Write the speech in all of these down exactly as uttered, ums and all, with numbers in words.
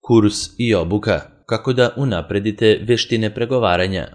Kurs i obuka kako da unapredite veštine pregovaranja.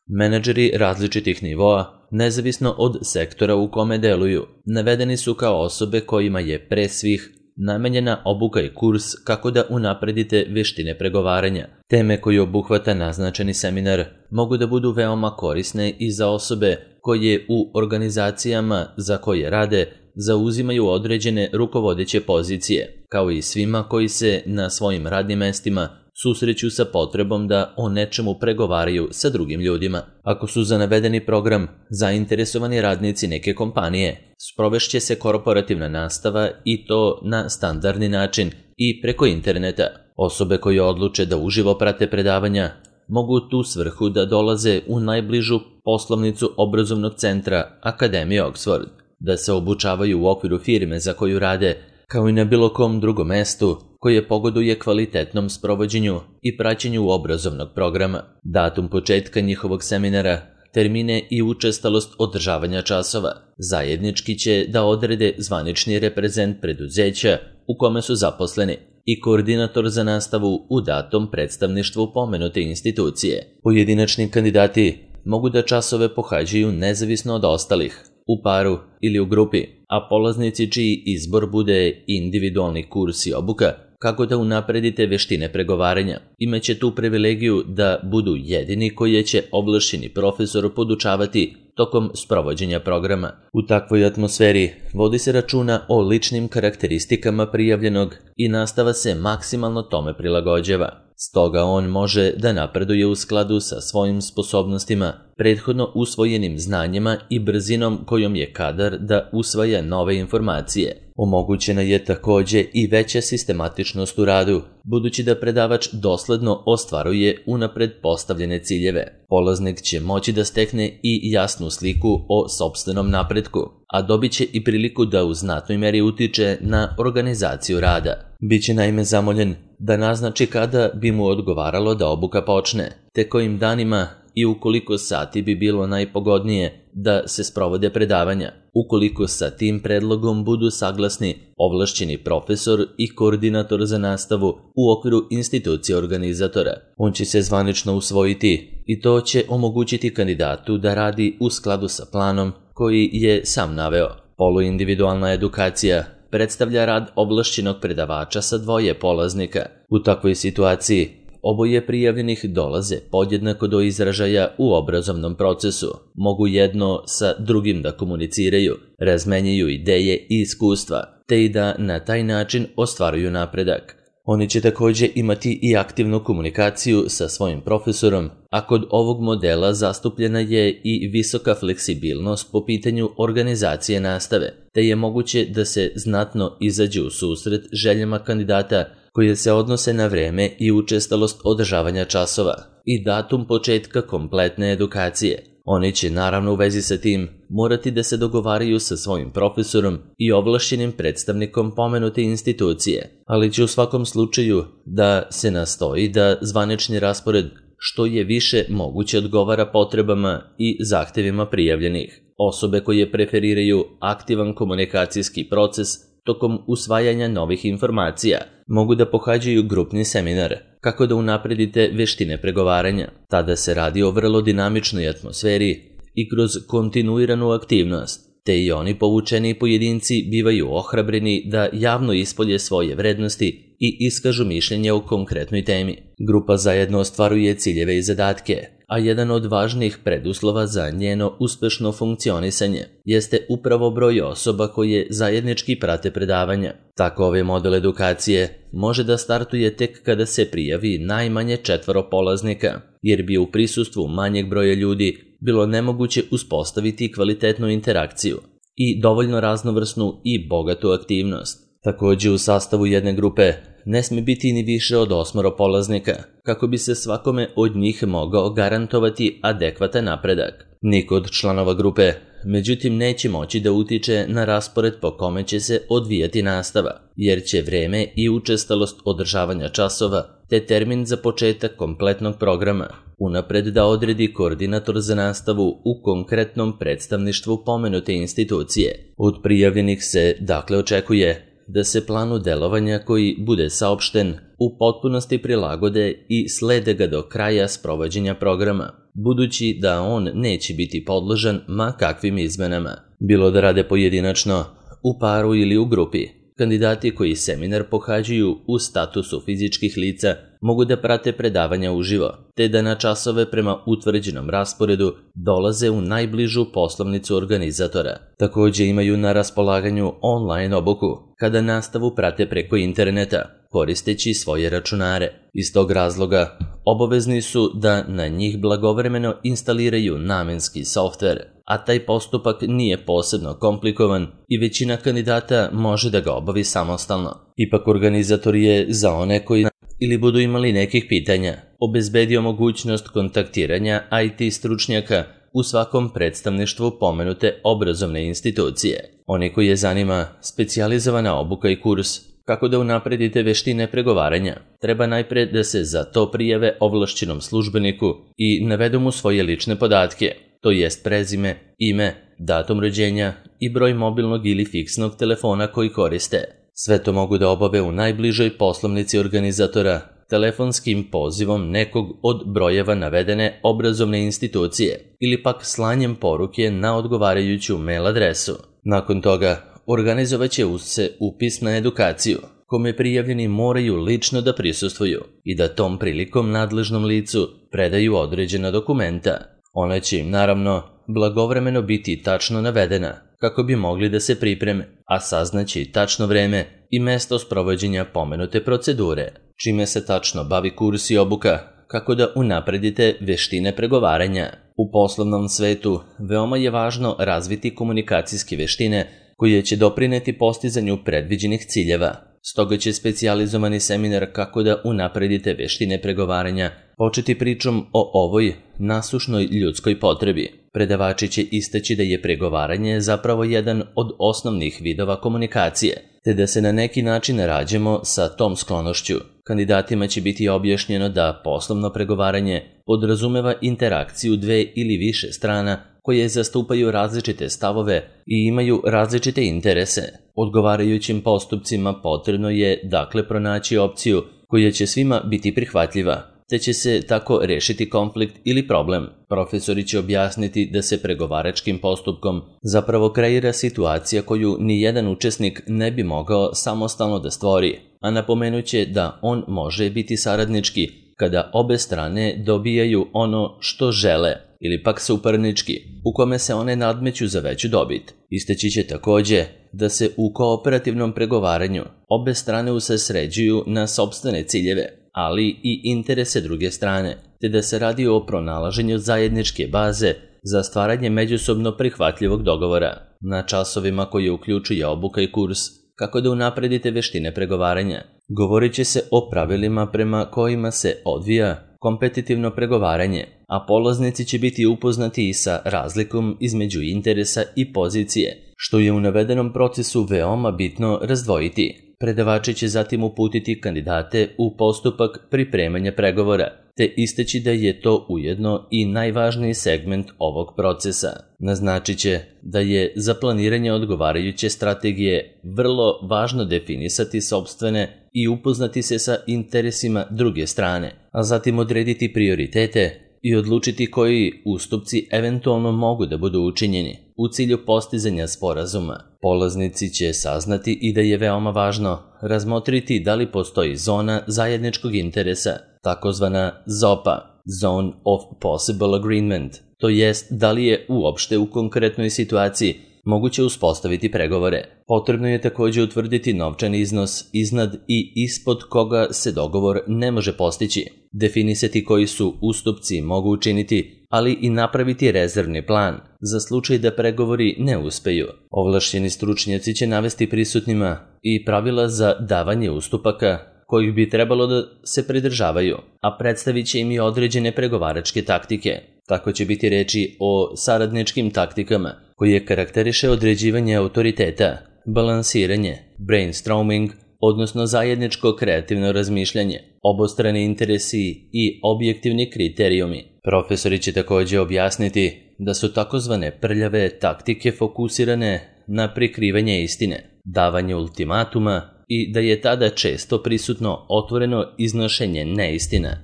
Menadžeri različitih nivoa, nezavisno od sektora u kome deluju, navedeni su kao osobe kojima je pre svih namenjena obuka i kurs kako da unapredite veštine pregovaranja. Teme koje obuhvata naznačeni seminar mogu da budu veoma korisne i za osobe koje u organizacijama za koje rade zauzimaju određene rukovodeće pozicije, kao i svima koji se na svojim radnim mestima susreću sa potrebom da o nečemu pregovaraju sa drugim ljudima. Ako su za navedeni program zainteresovani radnici neke kompanije, sprovešće se korporativna nastava i to na standardni način i preko interneta. Osobe koje odluče da uživo prate predavanja mogu tu svrhu da dolaze u najbližu poslovnicu obrazovnog centra Akademije Oxford, da se obučavaju u okviru firme za koju rade, kao i na bilo kom drugom mestu koje pogoduje kvalitetnom sprovođenju i praćenju obrazovnog programa. Datum početka njihovog seminara, termine i učestalost održavanja časova zajednički će da odrede zvanični reprezent preduzeća u kome su zaposleni i koordinator za nastavu u datom predstavništvu pomenute institucije. Pojedinačni kandidati mogu da časove pohađaju nezavisno od ostalih, u paru ili u grupi, a polaznici čiji izbor bude individualni kurs i obuka kako da unapredite veštine pregovaranja imaće tu privilegiju da budu jedini koje će ovlašćeni profesor podučavati tokom sprovođenja programa. U takvoj atmosferi vodi se računa o ličnim karakteristikama prijavljenog i nastava se maksimalno tome prilagođava. Stoga on može da napreduje u skladu sa svojim sposobnostima, prethodno usvojenim znanjima i brzinom kojom je kadar da usvaja nove informacije. Omogućena je takođe i veća sistematičnost u radu, budući da predavač dosledno ostvaruje unapred postavljene ciljeve. Polaznik će moći da stekne i jasnu sliku o sopstvenom napretku, a dobit će i priliku da u znatnoj meri utiče na organizaciju rada. Biće naime zamoljen da naznači kada bi mu odgovaralo da obuka počne, te kojim danima i ukoliko sati bi bilo najpogodnije da se sprovode predavanja. Ukoliko sa tim predlogom budu saglasni ovlašćeni profesor i koordinator za nastavu u okviru institucije organizatora, on će se zvanično usvojiti i to će omogućiti kandidatu da radi u skladu sa planom koji je sam naveo. Poluindividualna edukacija predstavlja rad ovlašćenog predavača sa dvoje polaznika. U takvoj situaciji oboje prijavljenih dolaze podjednako do izražaja u obrazovnom procesu, mogu jedno sa drugim da komuniciraju, razmenjuju ideje i iskustva, te i da na taj način ostvaruju napredak. Oni će takođe imati i aktivnu komunikaciju sa svojim profesorom, a kod ovog modela zastupljena je i visoka fleksibilnost po pitanju organizacije nastave, te je moguće da se znatno izađe u susret željama kandidata koje se odnose na vreme i učestalost održavanja časova i datum početka kompletne edukacije. Oni će naravno u vezi sa tim morati da se dogovaraju sa svojim profesorom i ovlašćenim predstavnikom pomenute institucije, ali će u svakom slučaju da se nastoji da zvanični raspored što je više moguće odgovara potrebama i zahtevima prijavljenih. Osobe koje preferiraju aktivan komunikacijski proces tokom usvajanja novih informacija mogu da pohađaju grupni seminar kako da unapredite veštine pregovaranja. Tada se radi o vrlo dinamičnoj atmosferi i kroz kontinuiranu aktivnost, te i oni povučeni pojedinci bivaju ohrabreni da javno ispolje svoje vrednosti i iskažu mišljenje o konkretnoj temi. Grupa zajedno ostvaruje ciljeve i zadatke, a jedan od važnih preduslova za njeno uspešno funkcionisanje jeste upravo broj osoba koje zajednički prate predavanja. Tako ovaj model edukacije može da startuje tek kada se prijavi najmanje četvoro polaznika, jer bi u prisustvu manjeg broja ljudi bilo nemoguće uspostaviti kvalitetnu interakciju i dovoljno raznovrsnu i bogatu aktivnost. Takođe u sastavu jedne grupe ne sme biti ni više od osmoro polaznika, kako bi se svakome od njih mogao garantovati adekvatan napredak. Niko od članova grupe, međutim, neće moći da utiče na raspored po kome će se odvijati nastava, jer će vreme i učestalost održavanja časova te termin za početak kompletnog programa unapred da odredi koordinator za nastavu u konkretnom predstavništvu pomenute institucije. Od prijavljenih se dakle očekuje da se planu delovanja koji bude saopšten u potpunosti prilagode i slede ga do kraja sprovođenja programa, budući da on neće biti podložan ma kakvim izmenama, bilo da rade pojedinačno, u paru ili u grupi. Kandidati koji seminar pohađaju u statusu fizičkih lica mogu da prate predavanja uživo, te da na časove prema utvrđenom rasporedu dolaze u najbližu poslovnicu organizatora. Takođe imaju na raspolaganju online obuku, kada nastavu prate preko interneta, koristeći svoje računare. Iz tog razloga, obavezni su da na njih blagovremeno instaliraju namenski softver, a taj postupak nije posebno komplikovan i većina kandidata može da ga obavi samostalno. Ipak organizator je za one koji ili budu imali nekih pitanja obezbedio mogućnost kontaktiranja I T stručnjaka u svakom predstavništvu pomenute obrazovne institucije. Oni koji je zanima specijalizovana obuka i kurs kako da unapredite veštine pregovaranja, treba najpre da se za to prijave ovlašćenom službeniku i navedu mu svoje lične podatke, to jest prezime, ime, datum rođenja i broj mobilnog ili fiksnog telefona koji koriste. Sve to mogu da obave u najbližoj poslovnici organizatora, telefonskim pozivom nekog od brojeva navedene obrazovne institucije ili pak slanjem poruke na odgovarajuću mail adresu. Nakon toga, organizovat će se upis na edukaciju, kome prijavljeni moraju lično da prisustvuju i da tom prilikom nadležnom licu predaju određena dokumenta. Ona će im naravno blagovremeno biti tačno navedena kako bi mogli da se pripreme, a saznaće i tačno vreme i mesto sprovođenja pomenute procedure, čime se tačno bavi kurs i obuka, kako da unapredite veštine pregovaranja. U poslovnom svetu veoma je važno razviti komunikacijske veštine koje će doprineti postizanju predviđenih ciljeva. Stoga će specijalizovani seminar kako da unapredite veštine pregovaranja početi pričom o ovoj nasušnoj ljudskoj potrebi. Predavači će istaći da je pregovaranje zapravo jedan od osnovnih vidova komunikacije, te da se na neki način rađemo sa tom sklonošću. Kandidatima će biti objašnjeno da poslovno pregovaranje podrazumeva interakciju dve ili više strana koje zastupaju različite stavove i imaju različite interese. Odgovarajućim postupcima potrebno je dakle pronaći opciju koja će svima biti prihvatljiva, te će se tako rešiti konflikt ili problem. Profesori će objasniti da se pregovaračkim postupkom zapravo kreira situacija koju ni jedan učesnik ne bi mogao samostalno da stvori, a napomenuće da on može biti saradnički kada obe strane dobijaju ono što žele, ili pak suparnički, u kome se one nadmeću za veću dobit. Istaći će takođe da se u kooperativnom pregovaranju obe strane usredsređuju na sopstvene ciljeve, ali i interese druge strane, te da se radi o pronalaženju zajedničke baze za stvaranje međusobno prihvatljivog dogovora. Na časovima koje uključuje obuka i kurs kako da unapredite veštine pregovaranja, govorit će se o pravilima prema kojima se odvija kompetitivno pregovaranje, a polaznici će biti upoznati i sa razlikom između interesa i pozicije, što je u navedenom procesu veoma bitno razdvojiti. Predavači će zatim uputiti kandidate u postupak pripremanja pregovora, te istaći da je to ujedno i najvažniji segment ovog procesa. Naznačit će da je za planiranje odgovarajuće strategije vrlo važno definisati sopstvene i upoznati se sa interesima druge strane, a zatim odrediti prioritete i odlučiti koji ustupci eventualno mogu da budu učinjeni u cilju postizanja sporazuma. Polaznici će saznati i da je veoma važno razmotriti da li postoji zona zajedničkog interesa, takozvana Z O P A, Zone of Possible Agreement, to jest da li je uopšte u konkretnoj situaciji moguće uspostaviti pregovore. Potrebno je takođe utvrditi novčani iznos iznad i ispod koga se dogovor ne može postići, definisati koji su ustupci mogu učiniti, ali i napraviti rezervni plan za slučaj da pregovori ne uspeju. Ovlašćeni stručnjaci će navesti prisutnima i pravila za davanje ustupaka kojih bi trebalo da se pridržavaju, a predstavit će im i određene pregovaračke taktike. Tako će biti reči o saradničkim taktikama koje karakteriše određivanje autoriteta, balansiranje, brainstorming, odnosno zajedničko kreativno razmišljanje, obostrani interesi i objektivni kriterijumi. Profesori će takođe objasniti da su takozvane prljave taktike fokusirane na prikrivanje istine, davanje ultimatuma i da je tada često prisutno otvoreno iznošenje neistina.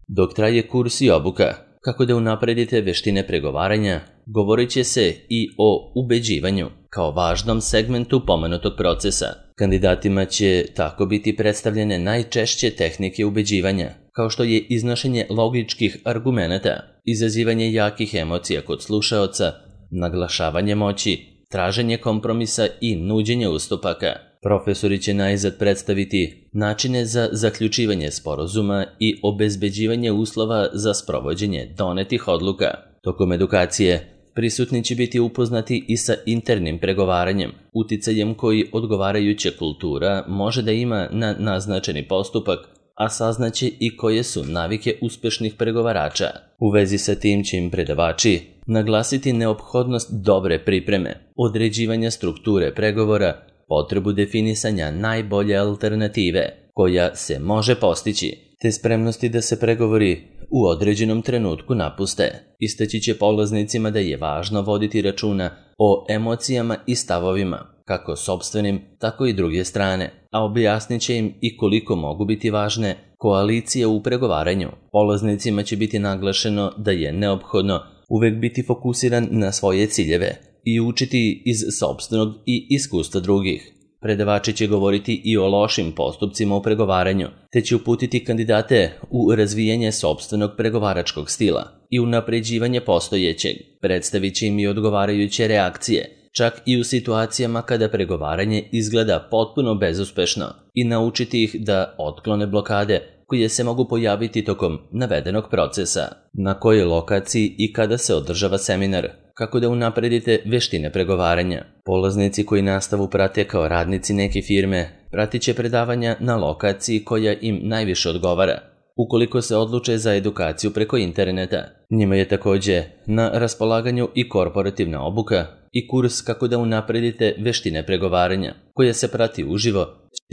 Dok traje kurs i obuka, kako da unapredite veštine pregovaranja, govorit će se i o ubeđivanju kao važnom segmentu pomenutog procesa. Kandidatima će tako biti predstavljene najčešće tehnike ubeđivanja, kao što je iznošenje logičkih argumenata, izazivanje jakih emocija kod slušaoca, naglašavanje moći, traženje kompromisa i nuđenje ustupaka. Profesori će najzad predstaviti načine za zaključivanje sporazuma i obezbeđivanje uslova za sprovođenje donetih odluka. Tokom edukacije prisutni će biti upoznati i sa internim pregovaranjem, uticajem koji odgovarajuća kultura može da ima na naznačeni postupak, a saznaće i koje su navike uspešnih pregovarača. U vezi sa tim će im predavači naglasiti neophodnost dobre pripreme, određivanja strukture pregovora, potrebu definisanja najbolje alternative koja se može postići, te spremnosti da se pregovori u određenom trenutku napuste. Istaći će polaznicima da je važno voditi računa o emocijama i stavovima, kako sopstvenim, tako i druge strane, a objasnit će im i koliko mogu biti važne koalicije u pregovaranju. Polaznicima će biti naglašeno da je neophodno uvek biti fokusiran na svoje ciljeve i učiti iz sopstvenog i iskustva drugih. Predavači će govoriti i o lošim postupcima u pregovaranju, te će uputiti kandidate u razvijanje sopstvenog pregovaračkog stila i unapređivanje postojećeg. Predstavit će im i odgovarajuće reakcije, čak i u situacijama kada pregovaranje izgleda potpuno bezuspešno, i naučiti ih da otklone blokade koje se mogu pojaviti tokom navedenog procesa. Na kojoj lokaciji i kada se održava seminar, kako da unapredite veštine pregovaranja. Polaznici koji nastavu prate kao radnici neke firme pratit će predavanja na lokaciji koja im najviše odgovara, ukoliko se odluče za edukaciju preko interneta. Njima je takođe na raspolaganju i korporativna obuka i kurs kako da unapredite veštine pregovaranja, koja se prati uživo,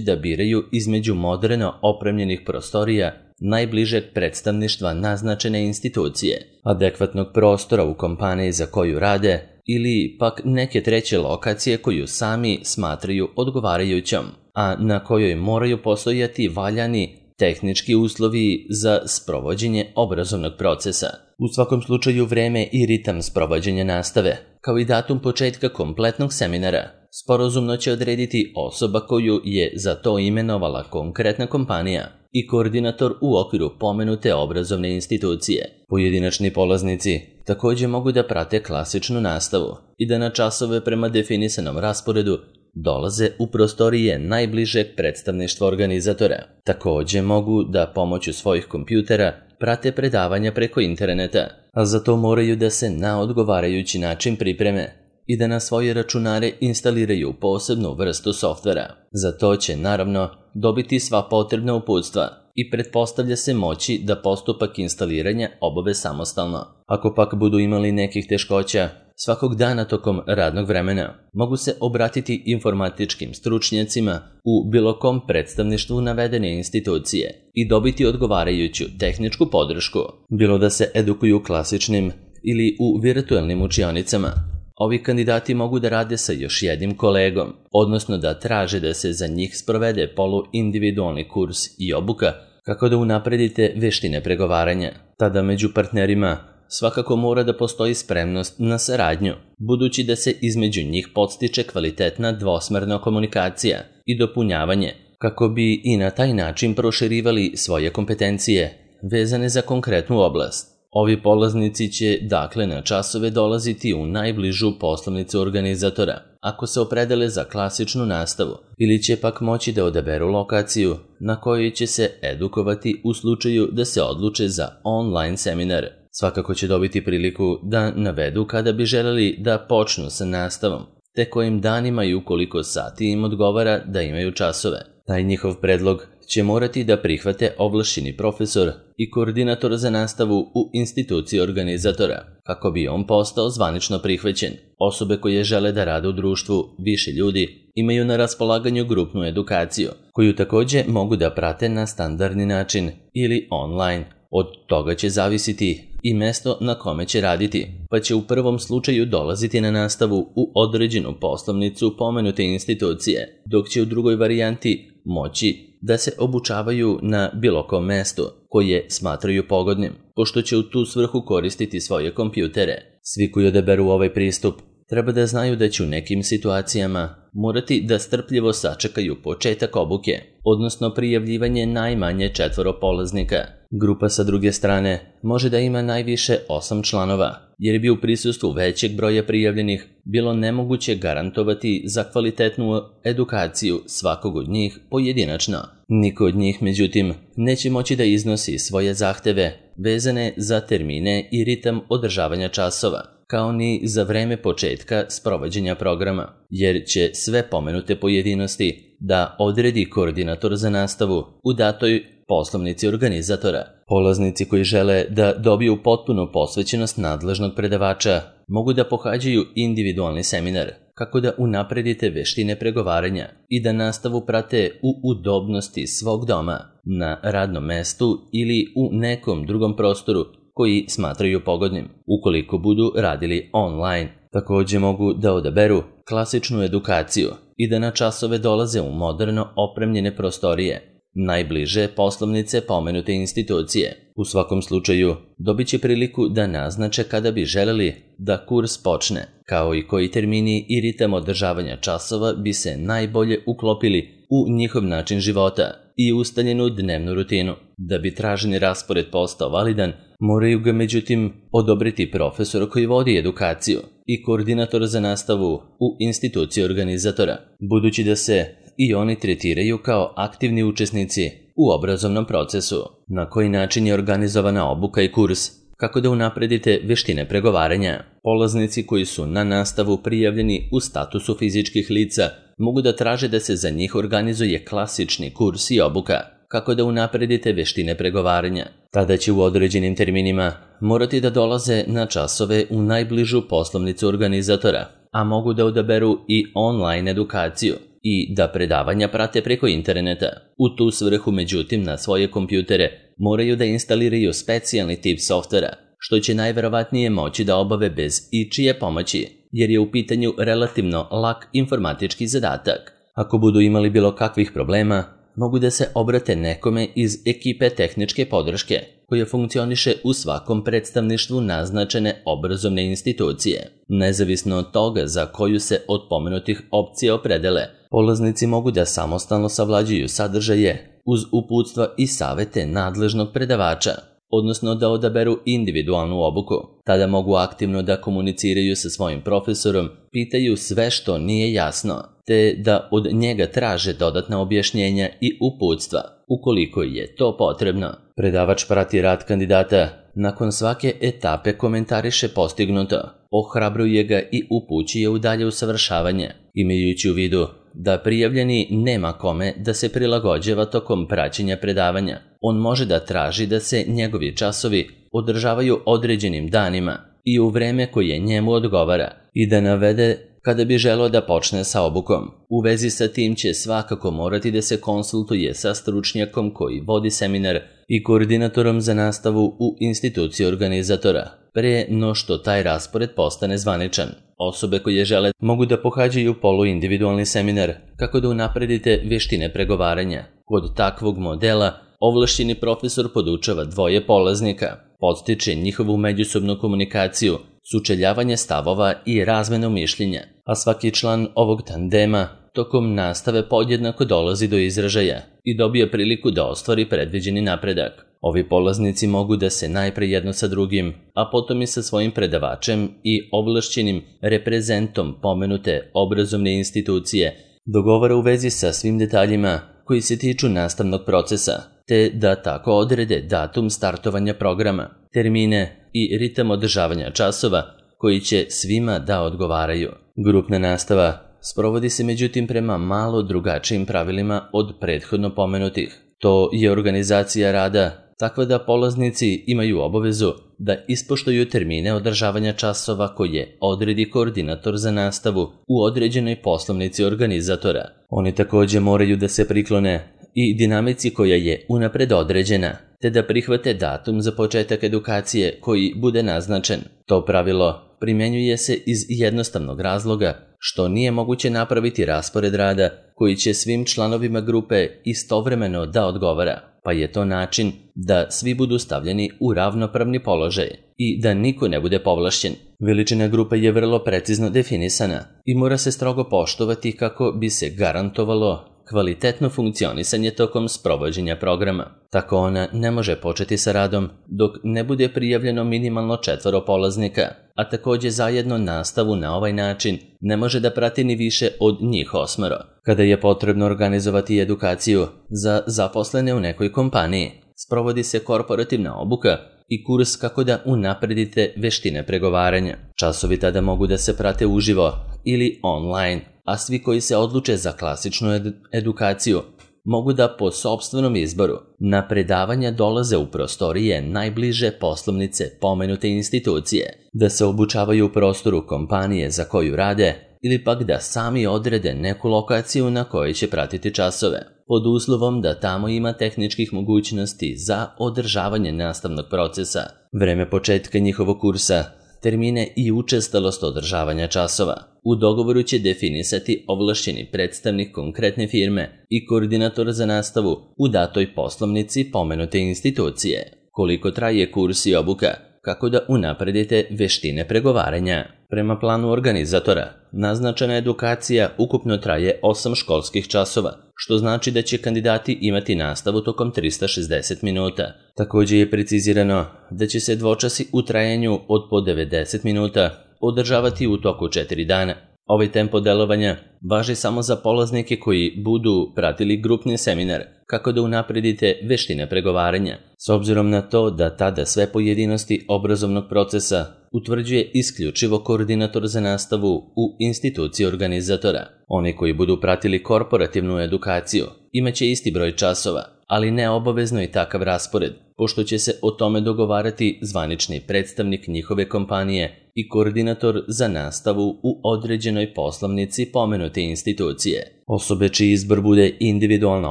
da biraju između moderno opremljenih prostorija najbližeg predstavništva naznačene institucije, adekvatnog prostora u kompaniji za koju rade ili pak neke treće lokacije koju sami smatraju odgovarajućom, a na kojoj moraju postojati valjani tehnički uslovi za sprovođenje obrazovnog procesa. U svakom slučaju vreme i ritam sprovođenja nastave, kao i datum početka kompletnog seminara, sporazumno će odrediti osoba koju je za to imenovala konkretna kompanija i koordinator u okviru pomenute obrazovne institucije. Pojedinačni polaznici takođe mogu da prate klasičnu nastavu i da na časove prema definisanom rasporedu dolaze u prostorije najbližeg predstavništva organizatora. Takođe mogu da pomoću svojih kompjutera prate predavanja preko interneta, a za to moraju da se na odgovarajući način pripreme i da na svoje računare instaliraju posebnu vrstu softvera. Za to će, naravno, dobiti sva potrebna uputstva i pretpostavlja se moći da postupak instaliranja obave samostalno. Ako pak budu imali nekih teškoća, svakog dana tokom radnog vremena mogu se obratiti informatičkim stručnjacima u bilo kom predstavništvu navedene institucije i dobiti odgovarajuću tehničku podršku, bilo da se edukuju klasičnim ili u virtuelnim učionicama. Ovi kandidati mogu da rade sa još jednim kolegom, odnosno da traže da se za njih sprovede poluindividualni kurs i obuka kako da unapredite veštine pregovaranja. Tada među partnerima svakako mora da postoji spremnost na saradnju, budući da se između njih podstiče kvalitetna dvosmerna komunikacija i dopunjavanje, kako bi i na taj način proširivali svoje kompetencije vezane za konkretnu oblast. Ovi polaznici će dakle na časove dolaziti u najbližu poslovnicu organizatora, ako se opredele za klasičnu nastavu, ili će pak moći da odaberu lokaciju na kojoj će se edukovati u slučaju da se odluče za online seminar. Svakako će dobiti priliku da navedu kada bi želeli da počnu sa nastavom, te kojim danima i ukoliko sati im odgovara da imaju časove. Taj njihov predlog će morati da prihvate ovlašćeni profesor i koordinator za nastavu u instituciji organizatora, kako bi on postao zvanično prihvaćen. Osobe koje žele da rade u društvu više ljudi imaju na raspolaganju grupnu edukaciju, koju takođe mogu da prate na standardni način ili online. Od toga će zavisiti i mesto na kome će raditi, pa će u prvom slučaju dolaziti na nastavu u određenu poslovnicu pomenute institucije, dok će u drugoj varijanti moći da se obučavaju na bilo kom mestu koje smatraju pogodnim, pošto će u tu svrhu koristiti svoje kompjutere. Svi koji odaberu ovaj pristup treba da znaju da će u nekim situacijama morati da strpljivo sačekaju početak obuke, odnosno prijavljivanje najmanje četvoro polaznika. Grupa sa druge strane može da ima najviše osam članova, jer bi u prisustvu većeg broja prijavljenih bilo nemoguće garantovati za kvalitetnu edukaciju svakog od njih pojedinačno. Niko od njih, međutim, neće moći da iznosi svoje zahteve vezane za termine i ritam održavanja časova, kao ni za vreme početka sprovođenja programa, jer će sve pomenute pojedinosti da odredi koordinator za nastavu u datoj poslovnici organizatora. Polaznici koji žele da dobiju potpunu posvećenost nadležnog predavača mogu da pohađaju individualni seminar, kako da unapredite veštine pregovaranja i da nastavu prate u udobnosti svog doma, na radnom mestu ili u nekom drugom prostoru koji smatraju pogodnim. Ukoliko budu radili online, takođe mogu da odaberu klasičnu edukaciju i da na časove dolaze u moderno opremljene prostorije, najbliže poslovnice pomenute institucije. U svakom slučaju, dobit će priliku da naznače kada bi želeli da kurs počne, kao i koji termini i ritam održavanja časova bi se najbolje uklopili u njihov način života i ustaljenu dnevnu rutinu. Da bi traženi raspored postao validan, moraju ga međutim odobriti profesor koji vodi edukaciju i koordinator za nastavu u instituciji organizatora, budući da se i oni tretiraju kao aktivni učesnici u obrazovnom procesu. Na koji način je organizovana obuka i kurs? Kako da unapredite veštine pregovaranja? Polaznici koji su na nastavu prijavljeni u statusu fizičkih lica mogu da traže da se za njih organizuje klasični kurs i obuka. Kako da unapredite veštine pregovaranja? Tada će u određenim terminima morati da dolaze na časove u najbližu poslovnicu organizatora, a mogu da odaberu i online edukaciju i da predavanja prate preko interneta. U tu svrhu, međutim, na svoje kompjutere moraju da instaliraju specijalni tip softvera, što će najverovatnije moći da obave bez ičije pomoći, jer je u pitanju relativno lak informatički zadatak. Ako budu imali bilo kakvih problema, mogu da se obrate nekome iz ekipe tehničke podrške, koja funkcioniše u svakom predstavništvu naznačene obrazovne institucije. Nezavisno od toga za koju se od pomenutih opcija opredele, polaznici mogu da samostalno savlađuju sadržaje uz uputstva i savete nadležnog predavača, odnosno da odaberu individualnu obuku. Tada mogu aktivno da komuniciraju sa svojim profesorom, pitaju sve što nije jasno, te da od njega traže dodatna objašnjenja i uputstva, ukoliko je to potrebno. Predavač prati rad kandidata, nakon svake etape komentariše postignuto, ohrabruje ga i upućuje u dalje usavršavanje, imajući u vidu da prijavljeni nema kome da se prilagođava tokom praćenja predavanja. On može da traži da se njegovi časovi održavaju određenim danima i u vreme koje njemu odgovara i da navede kada bi želeo da počne sa obukom. U vezi sa tim će svakako morati da se konsultuje sa stručnjakom koji vodi seminar i koordinatorom za nastavu u instituciji organizatora, pre no što taj raspored postane zvaničan. Osobe koje žele mogu da pohađaju poluindividualni seminar kako da unapredite veštine pregovaranja. Kod takvog modela ovlašćeni profesor podučava dvoje polaznika, podstiče njihovu međusobnu komunikaciju, sučeljavanje stavova i razmenu mišljenja, a svaki član ovog tandema tokom nastave podjednako dolazi do izražaja i dobije priliku da ostvari predviđeni napredak. Ovi polaznici mogu da se najpre jedno sa drugim, a potom i sa svojim predavačem i ovlašćenim reprezentom pomenute obrazovne institucije dogovara u vezi sa svim detaljima koji se tiču nastavnog procesa, te da tako odrede datum startovanja programa, termine i ritam održavanja časova koji će svima da odgovaraju. Grupna nastava sprovodi se međutim prema malo drugačijim pravilima od prethodno pomenutih. To je organizacija rada takva da polaznici imaju obavezu da ispoštuju termine održavanja časova koje odredi koordinator za nastavu u određenoj poslovnici organizatora. Oni takođe moraju da se priklone i dinamici koja je unapred određena, te da prihvate datum za početak edukacije koji bude naznačen. To pravilo primjenjuje se iz jednostavnog razloga što nije moguće napraviti raspored rada koji će svim članovima grupe istovremeno da odgovara, pa je to način da svi budu stavljeni u ravnopravni položaj i da niko ne bude povlašćen. Veličina grupe je vrlo precizno definisana i mora se strogo poštovati kako bi se garantovalo kvalitetno funkcionisanje tokom sprovođenja programa. Tako ona ne može početi sa radom dok ne bude prijavljeno minimalno četvoro polaznika, a takođe zajedno nastavu na ovaj način ne može da prati ni više od njih osmero. Kada je potrebno organizovati edukaciju za zaposlene u nekoj kompaniji, sprovodi se korporativna obuka i kurs kako da unapredite veštine pregovaranja. Časovi tada mogu da se prate uživo ili online, a svi koji se odluče za klasičnu ed- edukaciju mogu da po sopstvenom izboru na predavanja dolaze u prostorije najbliže poslovnice pomenute institucije, da se obučavaju u prostoru kompanije za koju rade ili pak da sami odrede neku lokaciju na kojoj će pratiti časove, pod uslovom da tamo ima tehničkih mogućnosti za održavanje nastavnog procesa, vreme početka njihovog kursa, termine i učestalost održavanja časova. U dogovoru će definisati ovlašćeni predstavnik konkretne firme i koordinator za nastavu u datoj poslovnici pomenute institucije. Koliko traje kurs i obuka, kako da unapredite veštine pregovaranja. Prema planu organizatora, naznačena edukacija ukupno traje osam školskih časova, što znači da će kandidati imati nastavu tokom trista šezdeset minuta. Također je precizirano da će se dvočasi u trajanju od po devedeset minuta održavati u toku četiri dana. Ovaj tempo delovanja važi samo za polaznike koji budu pratili grupni seminar kako da unapredite veštine pregovaranja, s obzirom na to da tada sve pojedinosti obrazovnog procesa utvrđuje isključivo koordinator za nastavu u instituciji organizatora. Oni koji budu pratili korporativnu edukaciju imaće isti broj časova, ali ne obavezno i takav raspored, pošto će se o tome dogovarati zvanični predstavnik njihove kompanije i koordinator za nastavu u određenoj poslovnici pomenute institucije. Osobe čiji izbor bude individualna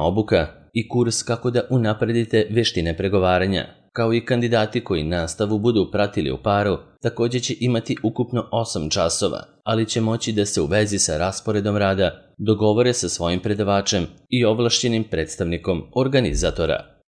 obuka i kurs kako da unapredite veštine pregovaranja, kao i kandidati koji nastavu budu pratili u paru, također će imati ukupno osam časova, ali će moći da se u vezi sa rasporedom rada dogovore sa svojim predavačem i ovlašćenim predstavnikom organizatora.